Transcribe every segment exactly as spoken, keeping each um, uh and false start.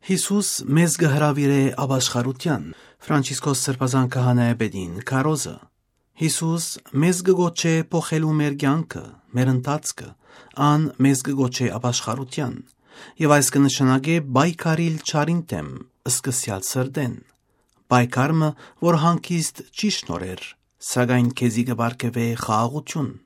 Յիսուս մեզ կը հրաւիրէ ապաշխարութեան։ Ֆրանցիսկոս Սրբազան քահանայապետին քարոզը։ Յիսուս մեզ կը գոչէ փոխելու մեր կեանքը, մեր ընթացքը, ան մեզ կը գոչէ ապաշխարութեան, եւ այս կը նշանակէ պայքարիլ չարին դէմ, սկսեալ սրտէն։ Պայքար մը, որ հանգիստ չի շնորհեր, սակայն քեզի կը պարգեւէ խաղաղութիւն։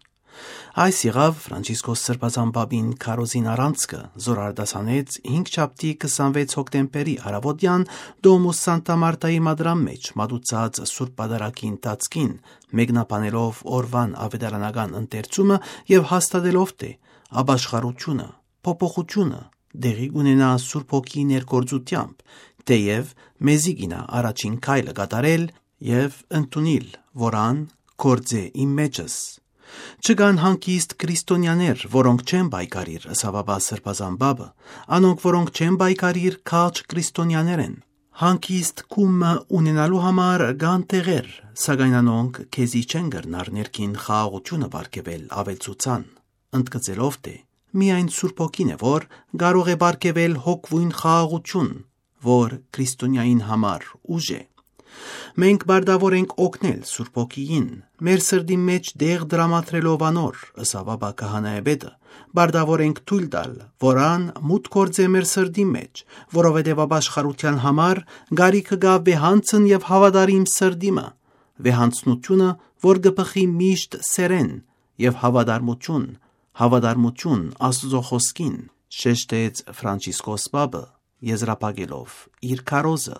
Այս եղաւ Ֆրանցիսկոս Սրբազան Պապին քարոզին առանցքը, զոր արտասանեց հինգշաբթի քսանվեց հոկտեմբերի առաւոտեան Դոմուս Սանտա Մարտայի մադրան մէջ մատուցած Սուրբ Պատարագի ընթացքին, մեկնաբանելով օրուան աւետարանական ընթերցումը եւ հաստատելով թէ ապաշխարութիւնը, փոփոխութիւնը տեղի կունենայ Սուրբ Հոգիի ներգործութեամբ, թէեւ մեզի կ'իյնայ առաջին քայլը կատարել եւ ընդունիլ, որ ան գործէ իմ մէջս։ Չկան հանգիստ քրիստոնեաներ, որոնք չեն պայքարիր, ըսաւ ապա Սրբազան Պապը, անոնք, որոնք չեն պայքարիր, քաջ քրիստոնեաներ են։ Հանգիստ կումը ունենալու համար կան տեղեր, սակայն անոնք քեզի չեն կրնար ներքին խաղաղութիւնը պարգեւել, աւելցուցան։ Ընդգծելով թէ միայն Սուրբ Հոգին է, որ կարող է պարգեւել հոգւոյն խաղաղութիւն, որ քրիստոնեային համար ուժ է։ Մենք պարտաւոր ենք օգնել Սուրբ Հոգիին, մեր սրտի մէջ տեղ դրամատրելով անոր, ըսաւ ապա քահանայապետը, պարտաւոր ենք թոյլ տալ, որ ան մուտք գործէ մեր սրտի մէջ, որովհետեւ ապաշխարութեան համար գարիքը կայ վեհանցն եւ հաւատարիմ սրտի մը, վեհանցնութիւնը, որ կը բխի միշտ սերեն, եւ հաւատարմութիւն, հաւատարմութիւն Աստուծոյ խօսքին, շեշտեց Ֆրանցիսկոս Պապը, եզրափակելով իր քարոզը։